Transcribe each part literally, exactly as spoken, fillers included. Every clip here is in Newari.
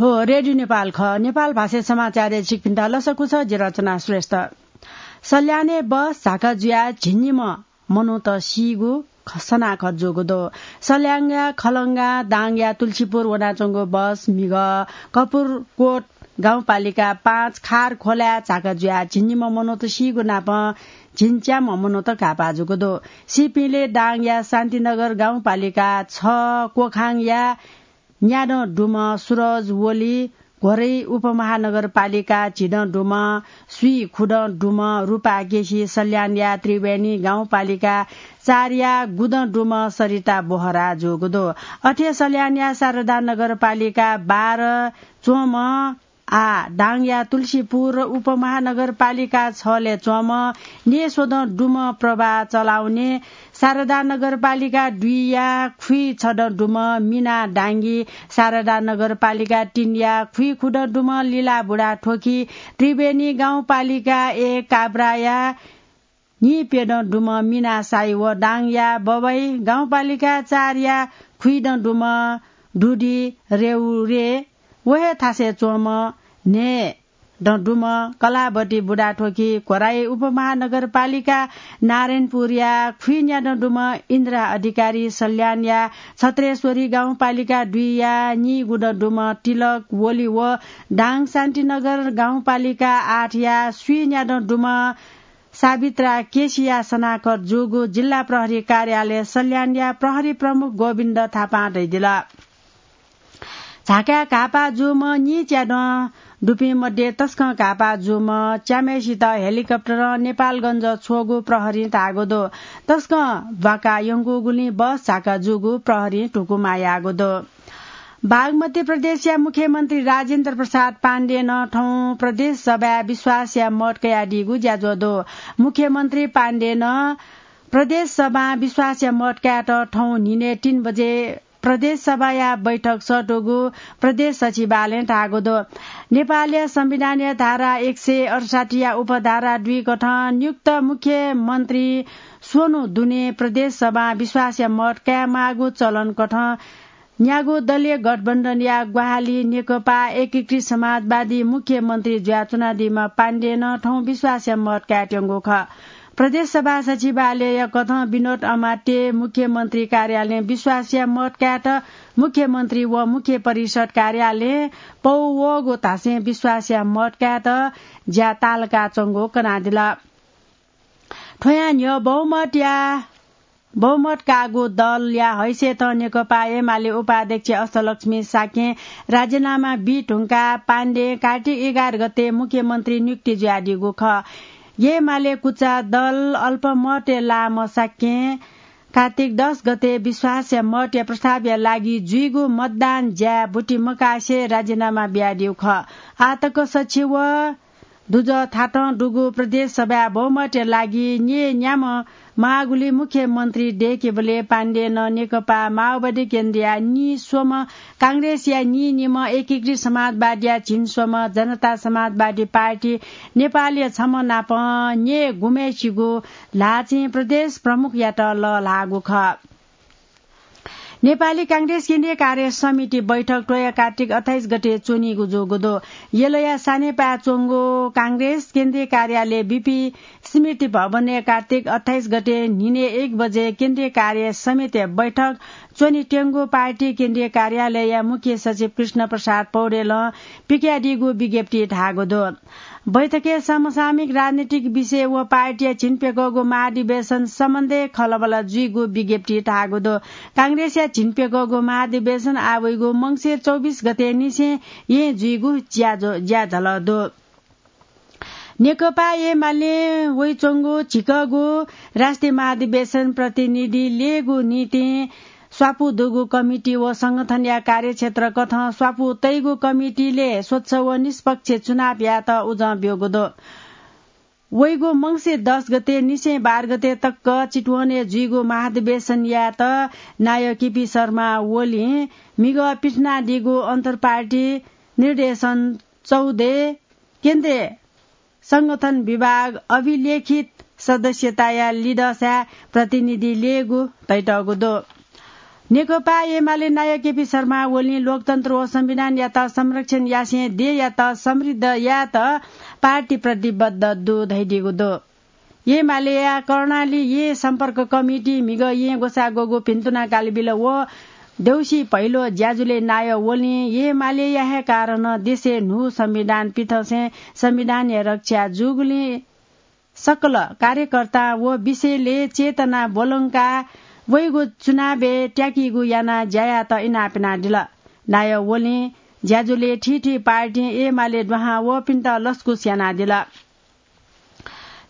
हो, रेडियो नेपाल खः। नेपाल भाषा समाचारय् छिकपिन्त लसकुस, जि रचना श्रेष्ठ। सल्यानय् बस झाका जुयाः झिंनिम्ह मनूत सीगु ख-, सनाखत जूगु दु। सल्यानया खलंगा दाङया तुलसीपुर वनाच्वंगु बस म्हिगः कपुरकोट गाउँपालिका पाँच खार खोलाय् झाका जुयाः झिंनिम्ह मनूत सीगु नापं झिंच्याम्ह मनूत घाःपाः जूगु दु। सीपिंलय् दाङया शान्तिनगर गाउँपालिका छ कोखाङया न्यादँ दुम्ह सुरज ओली, घोरै उपमहानगरपालिका झिदँ दुम्ह, स्वीखुदँ दुम्ह रूपा केसी, सल्यानया त्रिवेणी गाउँपालिका चारया गुदँ दुम्ह सरिता बोहरा जूगु दु। अथे सल्यानया शारदा नगरपालिका बाह्र च्वंम्ह आः दाङया तुलसीपुर उपमहानगरपालिका छलय् च्वंम्ह न्येस्वदँ दुम्ह प्रभा चलाउने, शारदा नगरपालिका दुईया खुइछदँ दुम्ह मिना डाङ्गी, शारदा नगरपालिका तीनया खुइखुदँ दुम्ह लिला बुढाथोकी, त्रिवेणी गाउँपालिका एक काभ्राया न्हिप्यदँ दुम्ह मिना साई व दाङया बबई गाउँपालिका चारया खुइदँ दुम्ह दुदी रेउरे व हे थासय् च्वंम्ह न्हय्दँ दुम्ह कलावती बुढाथोकी, घोराइ उपमहानगरपालिका नारायणपुरया खुइन्यादँ दुम्ह इन्द्रा अधिकारी, सल्यानया छत्रेश्वरी गाउँपालिका दुईया नीगुदँ दुम्ह तिलक ओली व दाङ शान्तिनगर गाउँपालिका आठया स्वीन्यादँ दुम्ह सावित्रा केसीया सनाखत जूगु जिल्ला प्रहरी कार्यालय सल्यानया प्रहरी प्रमुख गोविन्द थापां धयादिल। झाकाय् घाःपाः जूम्ह नीच्यादँ दुपिं मध्ये तसकं घाःपाः जूम्ह च्याम्हय्सित हेलिकप्टरं नेपालगञ्ज छ्वःगु प्रहरीं धाःगु दु। तसकं ब्वाका यंकूगुलिं बस झाका जूगु प्रहरीं धुकुमा याःगु दु। बागमती प्रदेशया मुख्यमन्त्री राजेन्द्र प्रसाद पाण्डेनं थौं प्रदेश सभाय् विश्वासया मत कयादीगु ज्याझ्वः दु। मुख्यमन्त्री पाण्डेनं प्रदेश सभां विश्वासया मत कायेत थौं न्हिनय् तीन बजे प्रदेश सभाया बैठक सःतूगु प्रदेश सचिवालयं धाःगु दु। नेपालया संविधानया धारा एक सय अठसट्ठीया उपधारा दुई कथं नियुक्त मुख्यमन्त्री स्वन्हु दुने प्रदेश सभां विश्वासया मत कायेमाःगु चलन कथं न्यागू दलीय गठबन्धनया ग्वाहालि नेकपा एकीकृत समाजवादी मुख्यमन्त्री जुयाच्वनादीम्ह पाण्डेनं थौं विश्वासया मत कायेत्यंगु खः। प्रदेश सभा सचिवालयया कथं विनोद अमात्य, मुख्यमन्त्री कार्यालयं विश्वासया मत कायेत मुख्यमन्त्री व मुख्य परिषद कार्यालयं पौ वःगु धासें विश्वासया मत कायेत ज्या तालकाच्वंगु कनादिल। थ्वयां न्ह्यः बहुमतया बहुमत काःगु दलया हैसियतं नेकपा एमाले उपाध्यक्ष अष्टलक्ष्मी शाक्यं राजीनामा बी धुंकाः पाण्डें कार्तिक एघार गते मुख्यमन्त्री नियुक्ति जुयादीगु खः। एमाले कुचा दल अल्पमतय् लाःम्ह शाक्यं कार्तिक दस गते विश्वासया मतया प्रस्तावया लागि जुइगु मतदान ज्याय् बुति मकासे राजीनामा बियादीगु खः। आःतक सछि व दुजः थातं दुगु प्रदेश सभाय् बहुमतया लागि न्यय् न्याम्ह माःगुलिं मुख्यमन्त्री दय्‌केबलय् पाण्डेनं नेकपा माओवादी केन्द्रया नीस्वम्ह, कांग्रेसया नीनिम्ह, एकीकृत समाजवादीया झिंस्वम्ह, जनता समाजवादी पार्टी नेपालया छम्ह नाप न्यय् गुम्हय्‌सिगु ल्हाःचिं प्रदेश प्रमुखयात लःल्हाःगु खः। नेपाली कांग्रेस केन्द्रीय कार्य समिति बैठक त्वःया कार्तिक अट्ठाइस गते च्वनीगु जूगु दु। यलया सानेपाय् च्वंगु कांग्रेस केन्द्रीय कार्यालय बीपी स्मृति भवनय् कार्तिक अट्ठाइस गते न्हिनय् एक बजे केन्द्रीय कार्य समिति बैठक च्वनीत्यंगु पार्टी केन्द्रीय कार्यालयया मुख्य सचिव कृष्ण प्रसाद पौडेलं पिकयादीगु विज्ञप्तिइ धाःगु दु। बैठकय् समसामयिक राजनीतिक विषय व पार्टीया झिंप्यघौगु महाधिवेशन सम्बन्धय् खँल्हाबल्हा जुइगु विज्ञप्तिइ धाःगु दु। कांग्रेसया झिंप्यघौगु महाधिवेशन आः वइगु मंसिर चौबिस गते निसें येँ जुइगु ज्या-, ज्याझ्वलय् दु। नेकपा एमालें वइच्वंगु झिंकःगु राष्ट्रिय महाधिवेशन प्रतिनिधि ल्ययेगु निंतिं स्वापू दुगु कमिटी व संगठनया कार्यक्षेत्र कथं स्वापू तइगु कमिटीले स्वच्छ व निष्पक्ष चुनाव यायेत उजं ब्यूगु दु। वइगु मंसिर दस गते निसें बाह्र गते तक चितवनय् जुइगु महाधिवेशन यायेत नायः केपी शर्मा ओलीं म्हिगः पिथनादीगु अन्तर्पार्टी निर्देशन चौधय् केन्द्रीय संगठन विभाग अभिलेखित सदस्यताया लिधंसाय् प्रतिनिधि ल्ययेगु तइतःगु दु। नेकपा एमाले नायः केपी शर्मा ओलीं लोकतन्त्र व संविधानयात संरक्षण यासें देय्‌यात समृद्ध यायेत पार्टी प्रतिबद्ध दु धयादीगु दु। एमालेया कर्णाली येँ सम्पर्क कमिटी म्हिगः येँ ग्वसाः ग्वःगु भिन्तुना कालबिल व देउसी भैलो ज्याझ्वलय् नायः ओलीं एमालेया हे कारणं देशय् न्हू संविधान पिथंसें संविधानया रक्षा जूगुलिं सकल कार्यकर्ता व विषयलय् चेतना ब्वलंकाः वइगु चुनावय् त्याकीगु यानाः ज्या यायेत इनाप यानादिल। नायः ओलीं ज्याझ्वलय् थीथी पार्टीं एमाले दुहां वःपिन्त लसकुस यानादिल।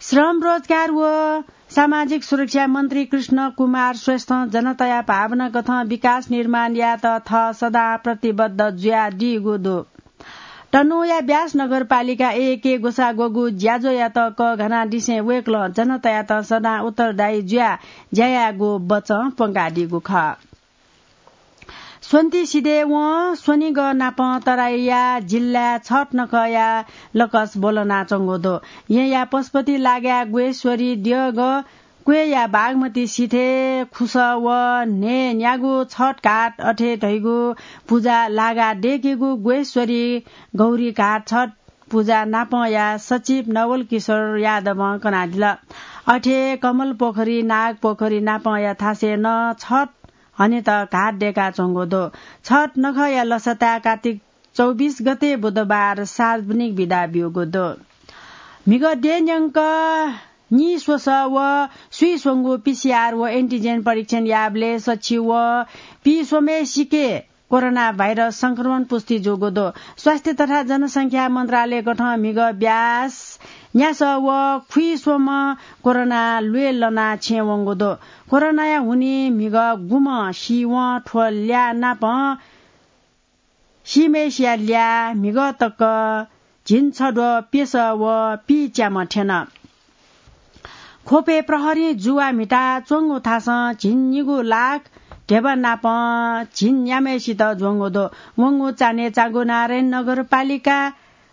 श्रम, रोजगार व सामाजिक सुरक्षा मन्त्री कृष्ण कुमार श्रेष्ठं जनताया भावना कथं विकास निर्माण यायेत थः सदां प्रतिबद्ध जुयादीगु दु। तनहुँया ब्यास नगरपालिका एकय् ग्वसाः ग्वःगु ज्याझ्वःयात कःघानादिसें वय्‌कलं जनतायात सदां उत्तरदायी जुयाः ज्या यायेगु वचं प्वंकादीगु खः। स्वन्ति सिधय्‌वं स्वनिगः नाप तराईया जिल्लाय् छत नखःया लकस ब्वलनाच्वंगु दु। येँया पशुपति लागाय् ग्वेश्वरी द्यःगः क्वय्‌या बागमती सिथय् खुसः व न्हय्‌न्यागू छत घाट अथे धइगु पुजा लागा दय्‌केगु ग्वेश्वरी गौरी घाट छत पुजा नापंया सचिव नवल किशोर यादवं कनादिल। अथे कमल पोखरी, नाग पोखरी नापंया थासय् नं छत हनेत घाट दय्‌काच्वंगु दु। छत नखःया लसताय् कात्तिक चौबिस गते बुधबार सार्वजनिक बिदा ब्यूगु दु। म्हिगः देय् न्यंक नीस्वसः व स्वीस्वंगू पीसीआर व एन्टिजेन परीक्षण याःबलय् सछि व पीस्वम्हेसिके कोरोना भाइरस संक्रमण पुष्टि जूगु दु। स्वास्थ्य तथा जनसंख्या मन्त्रालय कथं म्हिगः ब्यास न्यासः व खुइस्वम्ह कोरोना ल्वय् लनाः छेँ वंगु दु। कोरोनाया हुनिं म्हिगः गुम्ह सीवं थ्व ल्याः नापं सीम्हेसिया ल्याः म्हिगः तक झिंछद्वः प्यसः व पीच्याम्ह थ्यन। ख्वपय् प्रहरीं जुवा म्हिता च्वंगु थासं झिंनिगू लाख ध्यबा नापं झिंन्याम्हेसित ज्वंगु दु। वंगु चान्हय् चाँगुनारायण नगरपालिका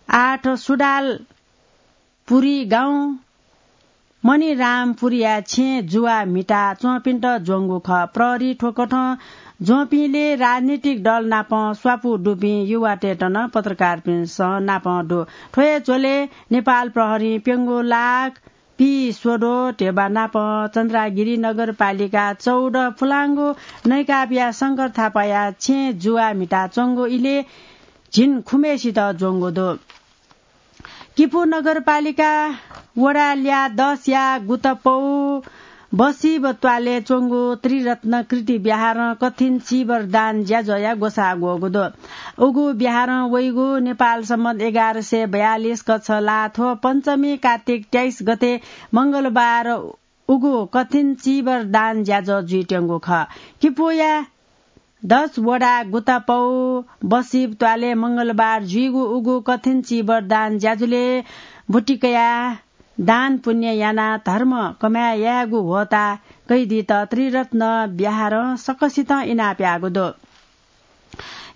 आठ सुडालपुरी गाउँ मणिरामपुरीया छेँय् जुवा म्हिता च्वंपिन्त ज्वंगु खः। प्रहरी थ्वकथं ज्वंपिंलय् राजनीतिक दल नापं स्वापू दुपिं युवातय्‌त नं पत्रकारपिन्सं नापं दु। थ्व हे झ्वलय् नेपाल प्रहरीं प्यंगू लाख पीस्वद्वः ध्यबा नापं चन्द्रागिरी नगरपालिका चौध फुलांगु नैकापया शंकर थापाया छेँय् जुवा म्हिता च्वंगु इलय् झिंखुम्हेसित ज्वंगु दु। किपू नगरपालिका वडा ल्याः दसया गुतपौ बसिब त्वालय् च्वंगु त्रिरत्न कृति विहारं कथिन चीवर दान ज्याझ्वःया ग्वसाः ग्वःगु दु। उगु विहारं वइगु नेपाल सम्बत एघार सय बयालिस कच्छ ला थ्व पञ्चमी कात्तिक तेइस गते मंगलबार उगु कथिन चीवर दान ज्याझ्वः जुइत्यंगु खः। किपूया दस वडा गुतापौ बसिब त्वालय् मंगलबार जुइगु उगु कथिन चीवर दान ज्याझ्वलय् बुटिकया दान पुण्य यानाः धर्म कमाय् यायेगु ह्वःताः कैदीत त्रिरत्न विहारं सकसितं इनाप याःगु दु।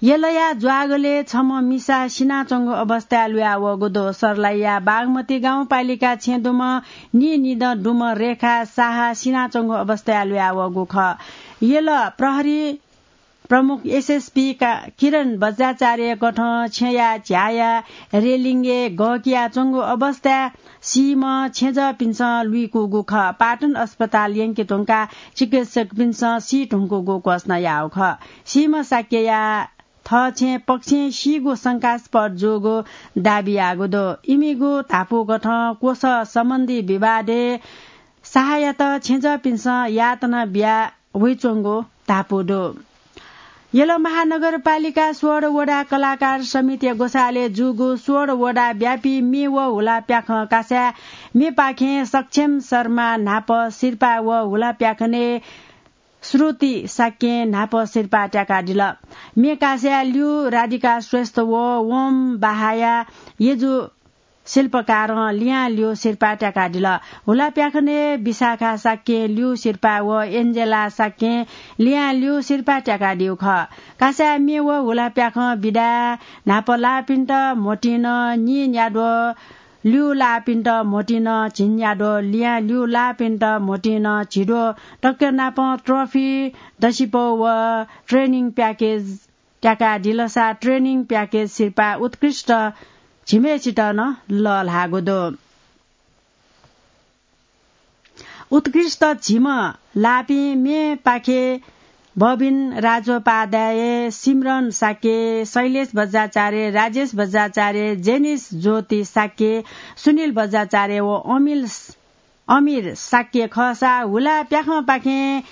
यलया ज्वागलय् छम्ह मिसा सिनाच्वंगु अवस्थाय् लुयावःगु दु। सर्लाहीया बागमती गाउँपालिका छेँ दुम्ह नीनिदँ दुम्ह रेखा साहा सिनाच्वंगु अवस्थाय् लुयावःगु खः। यल प्रहरी प्रमुख एसएसपी का-, किरण बज्राचार्य कथं छेँया झ्याःया रेलिङय् गःकियाच्वंगु अवस्थाय् सीम्ह छेँजःपिन्सं लुइकूगु खः। पाटन अस्पताल यंके धुंकाः चिकित्सकपिन्सं सी धुंकूगु घोषणा याःगु खः। सीम्ह शाक्यया थःछेँ पक्षं सीगु शंकास्पद जूगु दाबी याःगु दु। इमिगु धापू कथं कोसः सम्बन्धी विवादय् साहाय्‌यात छेँजःपिन्सं यातना बिया वइच्वंगु धापू दु। यल महानगरपालिका सोह्र वडा कलाकार समितिया ग्वसालय् जूगु सोह्र वडा व्यापी म्ये व हुला प्याखं कासाय् म्येपाखें सक्षम शर्मा न्हापा सिरपाः व हुला प्याखनय् श्रुति शाक्यं न्हापा सिरपाः त्याकादिल। म्ये कासाय् ल्यू राधिका श्रेष्ठ व ओम बाहाया यजु शिल्पकारं लिहां ल्यू सिरपाः त्याकादिल। हुला प्याखनय् विशाखा शाक्यं ल्यू सिरपाः व एन्जेला शाक्यं लिहां ल्यू सिरपाः त्याकादीगु खः। कासाय् म्ये व हुला प्याखं बिदाय् न्हापा लाःपिन्त म्होतिं नं नीन्याद्वः ल्यूलाःपिन्त म्होतिं नं झिंन्याद्वः, लियां ल्यूलाःपिन्त म्होतिं नं झिद्वः, तक्यनापं ट्रफी, दसिपौ व ट्रेनिङ प्याकेज त्याकादिलसा ट्रेनिङ प्याकेज सिरपाः उत्कृष्ट झिम्हेसित नं लःल्हाःगु दु। उत्कृष्ट झिम्ह लाःपिं मेपाखे बबिन राजोपाध्याय, सिमरन शाक्य, शैलेश बज्राचार्य, राजेश बज्राचार्य, जेनिस ज्योति शाक्य, सुनिल बज्राचार्य व अमिल, अमिर शाक्य खःसा हुला प्याखंपाखें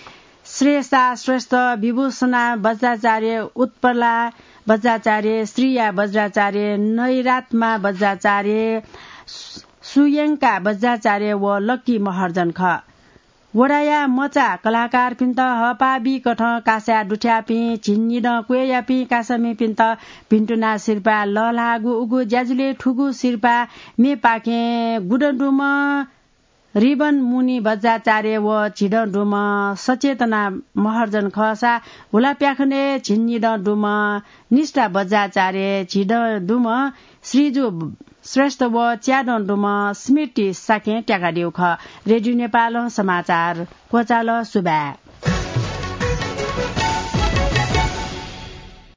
श्रेयसा श्रेष्ठ, विभूषणा बज्राचार्य, उत्पला बज्राचार्य, श्रिया बज्राचार्य, नैरात्मा बज्राचार्य, सु-, सुयंका बज्राचार्य व लक्की महर्जन खः। वडाया मचा कलाकारपिन्त हःपाः बीकथं कासाय् दुथ्याःपिं झिंनिदँ क्वय्‌यापिं कासामिपिन्त भिन्तुना सिरपाः लःल्हाःगु उगु ज्याझ्वलय् थुगु सिरपाः मेपाखें गुदँ दुम्ह रिबन मुनि बज्राचार्य व झिदँ दुम्ह सचेतना महर्जन खःसा हुला प्याखनय् झिंनिदँ दुम्ह निष्ठा बज्राचार्य, झिदँ दुम्ह श्रीजु श्रेष्ठ व च्यादँ दुम्ह स्मृति शाक्यं त्याकादीगु खः। रेडियो नेपालं समाचार क्वचाल। सुभाय्।